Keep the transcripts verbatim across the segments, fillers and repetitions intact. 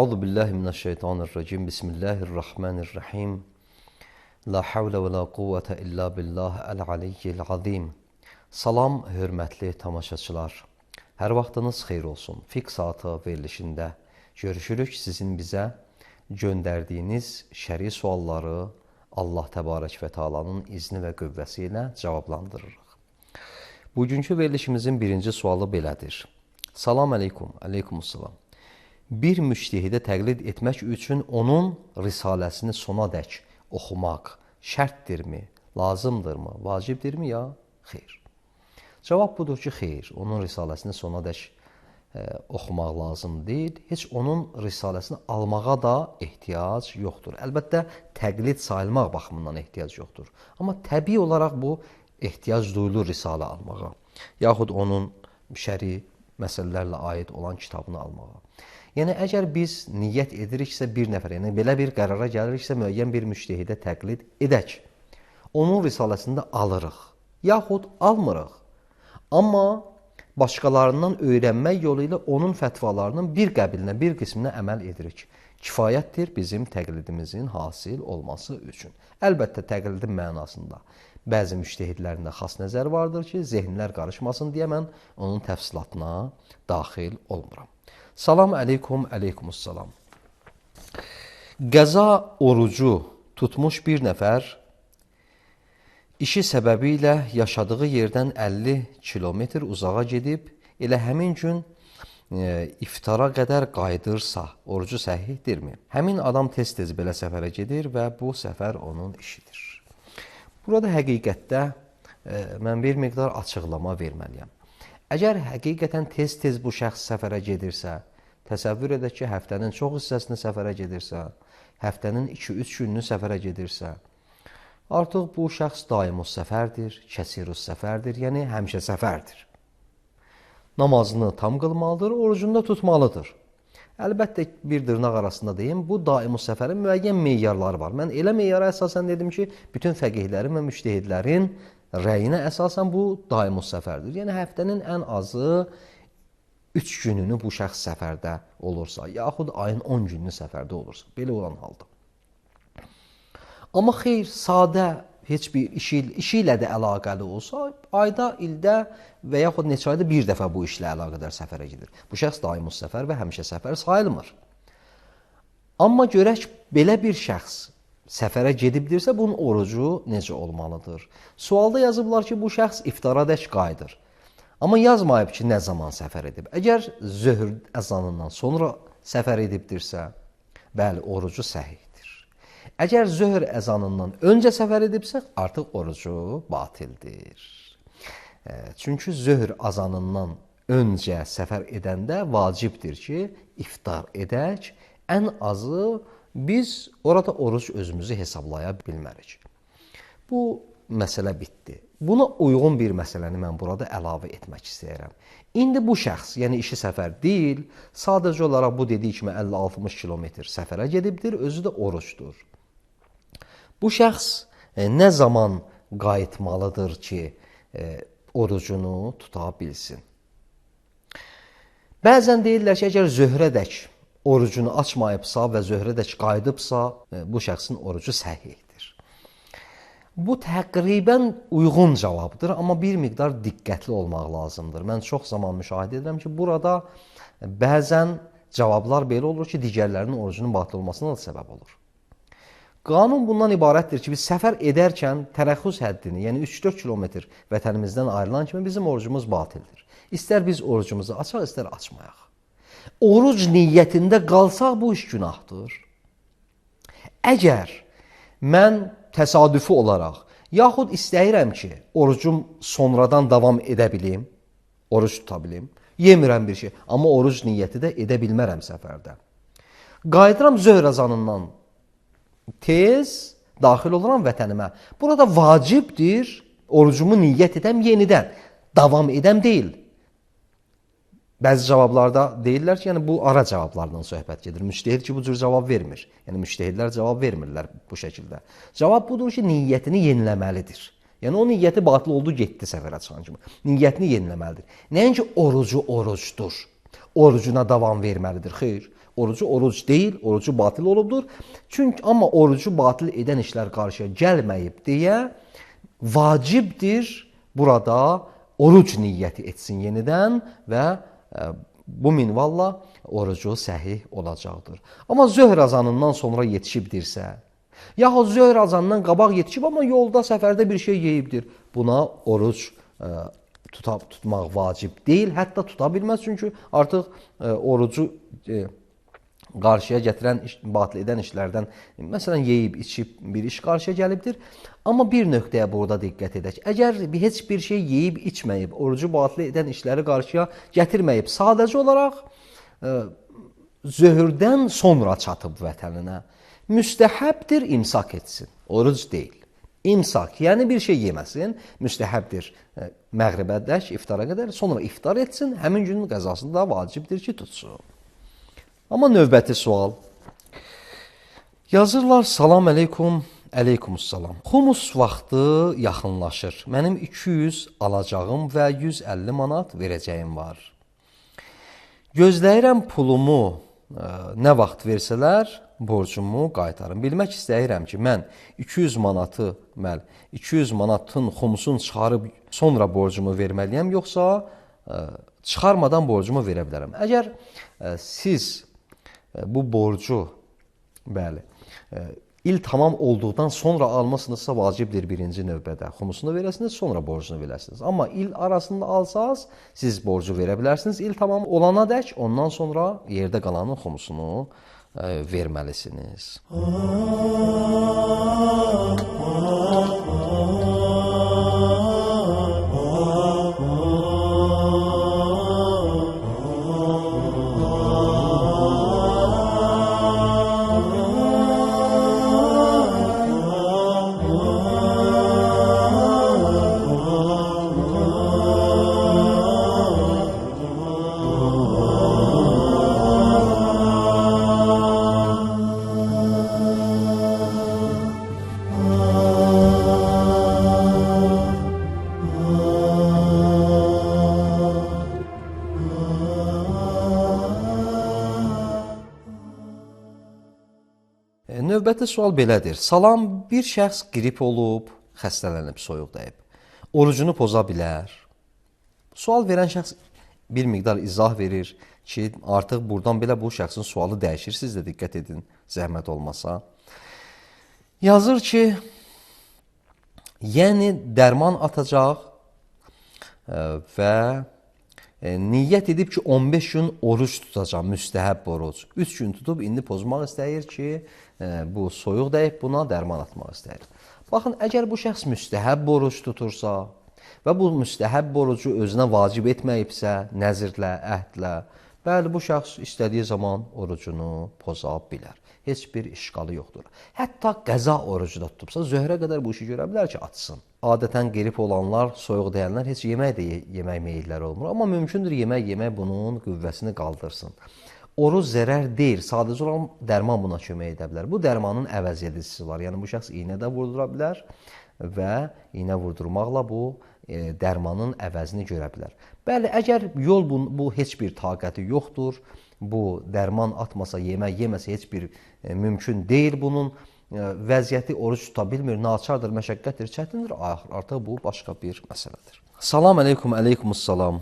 Euzu billahi mineşşeytanirracim. Bismillahirrahmanirrahim. La havle və la quvvətə illa billah el-aliyyil azim. Salam, hörmətli tamaşaçılar. Hər vaxtınız xeyir olsun. Fiqh saatı verilişində görüşürük. Sizin bizə göndərdiyiniz şəri sualları Allah Təbarək və Teala'nın izni və qüvvəsi ilə cavablandırırıq. Bugünkü verilişimizin birinci sualı belədir. Salam aleykum, aleykumussalam. Bir müştehidə təqlid etmək üçün onun risaləsini sonadək oxumaq şərtdirmi, lazımdırmı, vacibdirmi ya? Xeyr. Cavab budur ki, xeyr. Onun risaləsini sonadək e, oxumaq lazım deyil. Heç onun risaləsini almağa da ehtiyac yoxdur. Əlbəttə, təqlid sayılmaq baxımından ehtiyac yoxdur. Amma təbii olaraq bu ehtiyac duyulur risalə almağa. Yaxud onun şəri məsələlərlə aid olan kitabını almağa. Yəni, əgər biz niyyət ediriksə bir nəfər, yəni belə bir qərara gəliriksə müəyyən bir müştehidə təqlid edək. Onun risaləsində alırıq, yaxud almırıq. Amma başqalarından öyrənmək yolu ilə onun fətvalarının bir qəbilinə, bir qisminə əməl edirik. Kifayətdir bizim təqlidimizin hasil olması üçün. Əlbəttə, təqlidin mənasında bəzi müştehidlərində xas nəzər vardır ki, zehnlər qarışmasın deyə mən onun təfsilatına daxil olmuram. Salam aleykum, aleykumussalam. Qəza orucu tutmuş bir nəfər işi səbəbilə yaşadığı yerdən əlli kilometr uzağa gedib, elə həmin gün e, iftara qədər qaydırsa, orucu səhihdirmi? Həmin adam tez-tez belə səfərə gedir və bu səfər onun işidir. Burada həqiqətdə e, mən bir miqdar açıqlama verməliyəm. Əgər həqiqətən tez-tez bu şəxs səfərə gedirsə, təsəvvür edək ki, həftənin çox hissəsini səfərə gedirsə, həftənin iki-üç gününü səfərə gedirsə, artıq bu şəxs daimus səfərdir, kəsirus səfərdir, yəni həmişə səfərdir. Namazını tam qılmalıdır, orucunu da tutmalıdır. Əlbəttə, bir dırnaq arasında deyim, bu daimus səfərin müəyyən meyarları var. Mən elə meyara əsasən dedim ki, bütün fəqihlərin və müştehidlərin rəyinə əsasən bu daimus səfərdir. Yəni, həftənin ən azı üç gününü bu şəxs səfərdə olursa, yaxud ayın on gününü səfərdə olursa, belə olan halda. Amma xeyr, sadə heç bir işi, işi ilə də əlaqəli olsa, ayda, ildə və yaxud neçə ayda bir dəfə bu işlə əlaqədar səfərə gedir. Bu şəxs daimus səfər və həmişə səfər sayılmır. Amma görək, belə bir şəxs səfərə gedibdirsə, bunun orucu necə olmalıdır? Sualda yazıblar ki, bu şəxs iftaradək qayıdır. Amma yazmayıb ki, nə zaman səfər edib. Əgər zöhr əzanından sonra səfər edibdirsə, bəli, orucu səhihdir. Əgər zöhr əzanından öncə səfər edibsə, artıq orucu batildir. Çünki zöhr azanından öncə səfər edəndə vacibdir ki, iftar edək, ən azı biz orada oruc özümüzü hesablaya bilmərik. Bu məsələ bitdi. Buna uyğun bir məsələni mən burada əlavə etmək istəyirəm. İndi bu şəxs, yəni işi səfər deyil, sadəcə olaraq bu dediyi kimi əlli altmış kilometr səfərə gedibdir, özü də orucdur. Bu şəxs e, nə zaman qayıtmalıdır ki, e, orucunu tuta bilsin? Bəzən deyirlər ki, əgər zöhrədək orucunu açmayıbsa və zöhrədək qayıdıbsa, e, bu şəxsin orucu səhihdir. Bu təqribən uyğun cavabdır, amma bir miqdar diqqətli olmaq lazımdır. Mən çox zaman müşahidə edirəm ki, burada bəzən cavablar belə olur ki, digərlərinin orucunun batıl olmasına da səbəb olur. Qanun bundan ibarətdir ki, biz səfər edərkən tərəxüs həddini, yəni üç-dörd kilometr vətənimizdən ayrılan kimi bizim orucumuz batildir. İstər biz orucumuzu açaq, istər açmayaq. Oruc niyyətində qalsaq bu iş günahdır. Əgər mən təsadüfi olaraq, yaxud istəyirəm ki, orucum sonradan davam edə bilim, oruc tuta bilim, Yemirəm bir şey. Amma oruc niyyəti də edə bilmərəm səfərdə. Qayıdıram zöhr azanından tez daxil oluram vətənimə. Burada vacibdir orucumu niyyət edəm yenidən. Davam edəm deyil. Bəzi cavablarda deyirlər ki, yəni bu ara cavablardan söhbət gedir. Müctəhid ki, bu cür cavab vermir. Yəni müctəhidlər cavab vermirlər bu şəkildə. Cavab budur ki, niyyətini yeniləməlidir. Yəni o niyyəti batıl oldu, getdi səfərə çıxan kimi. Niyyətini yeniləməlidir. Nəinki orucu orucdur. Orucuna davam verməlidir. Xeyr. Orucu oruc deyil, orucu batıl olubdur. Çünki amma orucu batıl edən işlər qarşıya gəlməyib deyə vacibdir burada oruc niyyəti etsin yenidən və bu minvalla orucu səhih olacaqdır. Amma zöhr azanından sonra yetişibdirsə, yaxud zöhr azanından qabaq yetişib, amma yolda, səfərdə bir şey yeyibdir. Buna oruc e, tuta, tutmaq vacib deyil, hətta tuta bilməz. Çünki artıq e, orucu e, qarşıya gətirən, iş, batil edən işlərdən, məsələn, yeyib, içib bir iş qarşıya gəlibdir. Amma bir nöqtəyə burada diqqət edək. Əgər heç bir şey yeyib, içməyib, orucu batil edən işləri qarşıya gətirməyib, sadəcə olaraq e, zöhrdən sonra çatıb vətəninə, müstəhəbdir imsak etsin, oruc deyil. İmsak, yəni bir şey yeməsin, müstəhəbdir e, məğribədək, iftara qədər, sonra iftar etsin, həmin günün qəzasında vacibdir ki, tutsun. Amma növbəti sual. Yazırlar, salam əleykum, əleykumussalam. Xumus vaxtı yaxınlaşır. Mənim iki yüz alacağım və yüz əlli manat verəcəyim var. Gözləyirəm pulumu ə, nə vaxt versələr, borcumu qaytarım. Bilmək istəyirəm ki, mən iki yüz manatı, məl, iki yüz manatın xumusunu çıxarıb sonra borcumu verməliyəm, yoxsa ə, çıxarmadan borcumu verə bilərəm. Əgər ə, siz bu borcu, bəli, il tamam olduqdan sonra almasınızsa vacibdir birinci növbədə. Xumusunu verəsiniz, sonra borcunu verəsiniz. Amma il arasında alsaz, siz borcu verə bilərsiniz. İl tamam olana dək, ondan sonra yerdə qalanın xumusunu e, verməlisiniz. Növbəti sual belədir. Salam, bir şəxs qrip olub, xəstələnib, soyuq dəyib. Orucunu poza bilər. Sual verən şəxs bir miqdar izah verir ki, artıq buradan belə bu şəxsin sualı dəyişir. Siz də diqqət edin, zəhmət olmasa. Yazır ki, yəni dərman atacaq və E, niyyət edib ki, on beş gün oruç tutacaq, müstəhəb oruc. üç gün tutub, indi pozmaq istəyir ki, e, bu soyuq dəyib, buna dərman atmaq istəyir. Baxın, əgər bu şəxs müstəhəb oruc tutursa və bu müstəhəb orucu özünə vacib etməyibsə, nəzirlə, əhdlə, bəli, bu şəxs istədiyi zaman orucunu poza bilər. Heç bir işqalı yoxdur. Hətta qəza orucu da tutubsa, zöhrə qədər bu işi görə bilər ki, atsın. Adətən qrip olanlar, soyuq deyənlər heç yemək də yemək meyilləri olmur. Amma mümkündür yemək yemək bunun qüvvəsini qaldırsın. Oruc zərər deyil, sadəcə olan dərman buna kömək edə bilər. Bu dərmanın əvəz edicisi var. Yəni bu şəxs iynə də vurdura bilər və iynə vurdurmaqla bu e, dərmanın əvəzini görə bilər. Bəli, əgər yol bu, bu heç bir taqəti yoxdur, bu dərman atmasa, yemək yeməsə heç bir e, mümkün deyil bunun. Vəziyyəti oruc tuta bilmir, naçardır, məşəqqətdir, çətindir, artıq bu başqa bir məsələdir. Salam əleykum, əleykumussalam.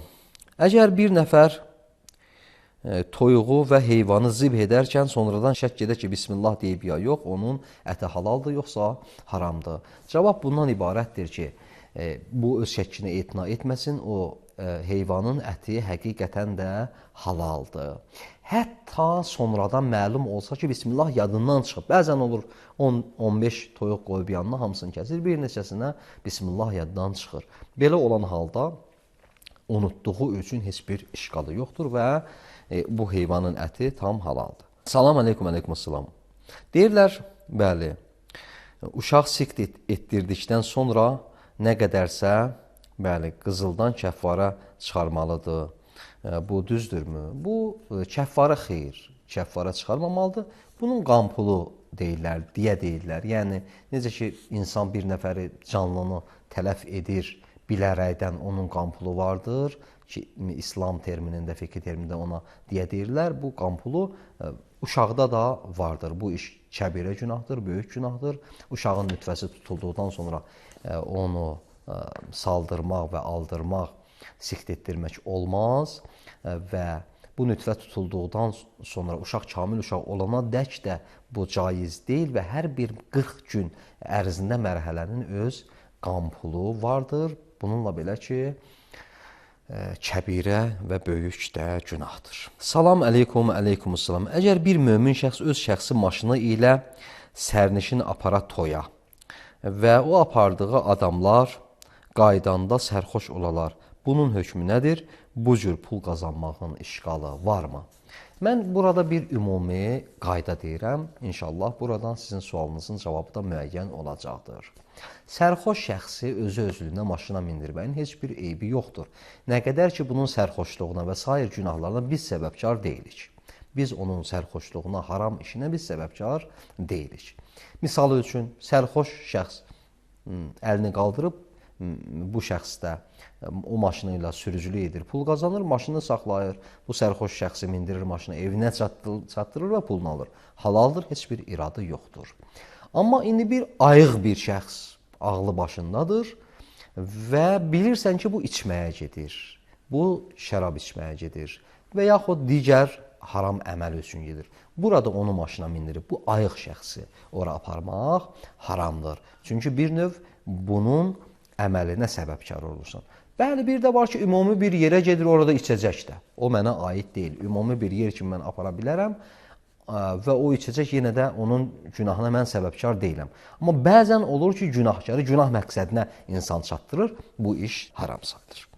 Əgər bir nəfər e, toyuğu və heyvanı zibh edərkən sonradan şəkk edə ki, bismillah deyib ya yox, onun əti halaldır, yoxsa haramdır. Cavab bundan ibarətdir ki, e, bu öz şəkkini etina etməsin, o e, heyvanın əti həqiqətən də halaldır. Hətta sonradan məlum olsa ki, bismillah yadından çıxıb. Bəzən olur on on beş toyuq qoyub yanına hamısını kəsir, bir neçəsinə bismillah yaddan çıxır. Belə olan halda unutduğu üçün heç bir işqalı yoxdur və e, bu heyvanın əti tam halaldır. Salam aleykum, aleykum salam. Deyirlər, bəli, uşaq sikt etdirdikdən sonra nə qədərsə, bəli, qızıldan kəffara çıxarmalıdır. Bu düzdürmü? Bu kəffara xeyir, kəffara çıxarmamalıdır. Bunun qampulu deyirlər, deyə deyirlər. Yəni, necə ki, insan bir nəfəri canlını tələf edir, bilərəkdən onun qampulu vardır ki, İslam terminində, fiqh terminində ona deyə deyirlər. Bu qampulu uşaqda da vardır. Bu iş kəbirə günahdır, böyük günahdır. Uşağın nütfəsi tutulduqdan sonra onu saldırmaq və aldırmaq, sikt etdirmək olmaz və bu nütfə tutulduqdan sonra uşaq kamil uşaq olana dək də bu caiz deyil və hər bir qırx gün ərzində mərhələnin öz qampulu vardır. Bununla belə ki, kəbirə və böyük də günahdır. Salam aleykum, aleykum salam. Əgər bir mömin şəxs öz şəxsi maşını ilə sərnişin apara toya və o apardığı adamlar qaydanda sərxoş olalar, bunun hökmü nədir? Bu cür pul qazanmağın işqalı varmı? Mən burada bir ümumi qayda deyirəm. İnşallah buradan sizin sualınızın cavabı da müəyyən olacaqdır. Sərxoş şəxsi özü özlüyünə maşına mindirməyin heç bir eybi yoxdur. Nə qədər ki, bunun sərxoşluğuna və sair günahlarına biz səbəbkar deyilik. Biz onun sərxoşluğuna, haram işinə biz səbəbkar deyilik. Misal üçün, sərxoş şəxs əlini qaldırıb, bu şəxs də o maşını ilə sürücülük edir, pul qazanır, maşını saxlayır, bu sərxoş şəxsi mindirir maşını, evinə çatdırır və pulunu alır. Halaldır, heç bir iradı yoxdur. Amma indi bir ayıq bir şəxs ağlı başındadır və bilirsən ki, bu içməyə gedir, bu şərab içməyə gedir və yaxud digər haram əməl üçün gedir. Burada onu maşına mindirib, bu ayıq şəxsi ora aparmaq haramdır. Çünki bir növ bunun əməlinə səbəbkar olursan. Bəli, bir də var ki, ümumi bir yerə gedir, orada içəcək də. O mənə aid deyil. Ümumi bir yer kimi mən apara bilərəm və o içəcək yenə də onun günahına mən səbəbkar deyiləm. Amma bəzən olur ki, günahkarı günah məqsədinə insan çatdırır, bu iş haram sayılır.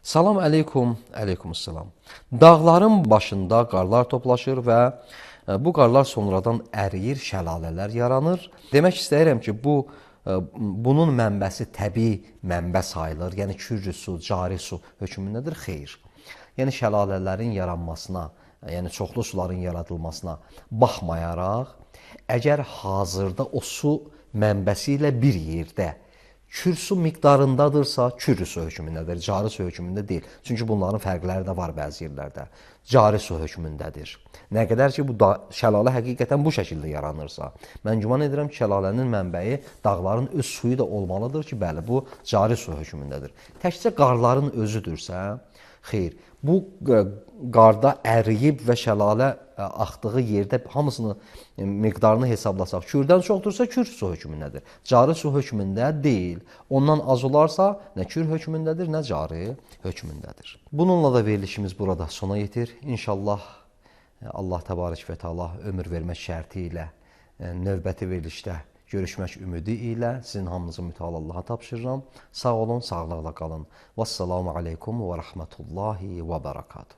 Salam aleykum, aleykum salam. Dağların başında qarlar toplaşır və bu qarlar sonradan əriyir, şəlalələr yaranır. Demək istəyirəm ki, bu bunun mənbəsi təbii mənbə sayılır, yəni kürcü su, cari su hökmündədir, xeyr. Yəni şəlalələrin yaranmasına, yəni çoxlu suların yaradılmasına baxmayaraq, əgər hazırda o su mənbəsi ilə bir yerdə kür su miqdarındadırsa, kürcü su hökmündədir, cari su hökmündə deyil. Çünki bunların fərqləri də var bəzi yerlərdə. Cari su hökmündədir. Nə qədər ki, bu şəlalə həqiqətən bu şəkildə yaranırsa, mən güman edirəm ki, şəlalənin mənbəyi dağların öz suyu da olmalıdır ki, bəli, bu cari su hökmündədir. Təkcə qarların özüdürsə, xeyr, bu qarda əriyib və şəlalə axdığı yerdə hamısını miqdarını hesablasaq, kürdən çoxdursa, kür su hökmündədir. Cari su hökmündə deyil. Ondan az olarsa, nə kür hökmündədir, nə cari hökmündədir. Bununla da verilişimiz burada sona yetir. İnşallah Allah təbarək və təala ömür vermək şərti ilə növbəti verilişdə görüşmək ümidi ilə sizin hamınızı mütəal Allaha tapşırıram. Sağ olun, sağlıqla qalın. Vəssalamu aleykum və rəhmətullahi və bərəkatuhu.